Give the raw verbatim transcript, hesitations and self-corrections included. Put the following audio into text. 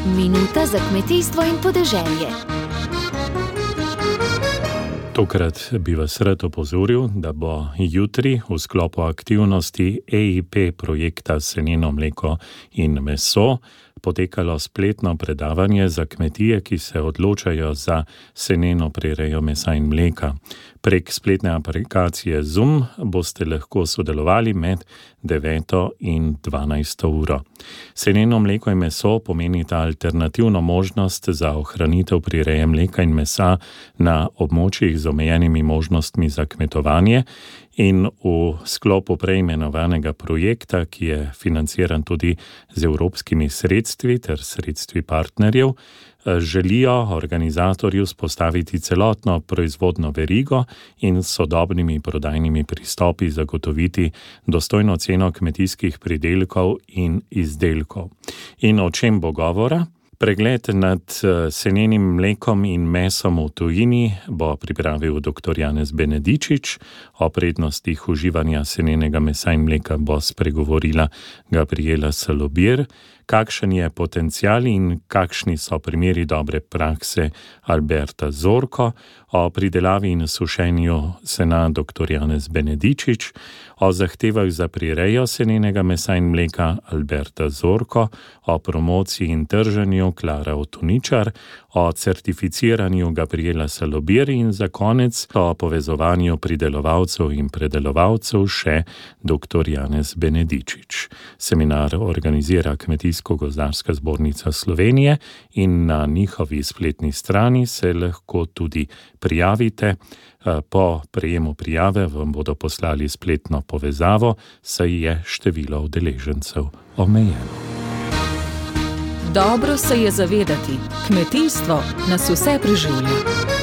Minuta za kmetijstvo in podeželje. Tokrat bi vas rad opozoril, da bo jutri v sklopu aktivnosti E I P projekta Seneno mleko in meso potekalo spletno predavanje za kmetije, ki se odločajo za seneno prirejo mesa in mleka. Prek spletne aplikacije Zoom boste lahko sodelovali med deveto in dvanajsto uro. Seneno mleko in meso pomenita alternativno možnost za ohranitev prireje mleka in mesa na območjih z omejenimi možnostmi za kmetovanje in v sklopu preimenovanega projekta, ki je financiran tudi z evropskimi sredstvi ter sredstvi partnerjev, želijo organizatorji vzpostaviti celotno proizvodno verigo in s sodobnimi prodajnimi pristopi zagotoviti dostojno ceno kmetijskih pridelkov in izdelkov. In o čem bo govora? Pregled nad senenim mlekom in mesom v tujini bo pripravil doktor Janez Benedičič, o prednostih uživanja senenega mesa in mleka bo spregovorila Gabriela Salobir, kakšen je potencial in kakšni so primeri dobre prakse Alberta Zorko, o pridelavi in sušenju sena doktor Janez Benedičič, o zahtevah za prirejo senenega mesa in mleka Alberta Zorko, o promociji in trženju Klara Otuničar, o certificiranju Gabriela Salobir in za konec o povezovanju pridelovalcev in predelovalcev še doktor Janez Benedičič. Seminar organizira Kmetijsko-gozdarska zbornica Slovenije in na njihovi spletni strani se lahko tudi prijavite. Po prejemu prijave vam bodo poslali spletno povezavo, saj je število udeležencev omejeno. Dobro se je zavedati, kmetijstvo nas vse preživlja.